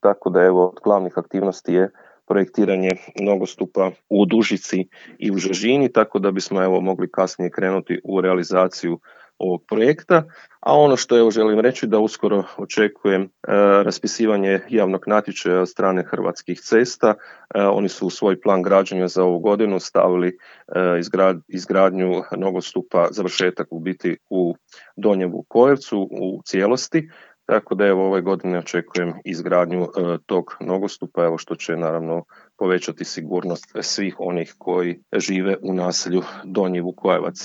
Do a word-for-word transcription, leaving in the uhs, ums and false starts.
tako da evo od glavnih aktivnosti je projektiranje nogostupa u Dužici i u Žežini, tako da bismo evo mogli kasnije krenuti u realizaciju ovog projekta. A ono što evo želim reći da uskoro očekujem e, raspisivanje javnog natječaja od strane Hrvatskih cesta. E, oni su u svoj plan građenja za ovu godinu stavili e, izgrad, izgradnju nogostupa, završetak u biti u Donjem Vukojevcu u cijelosti. Tako da evo ove godine očekujem izgradnju e, tog nogostupa, evo što će naravno povećati sigurnost svih onih koji žive u naselju Donji Vukojevac.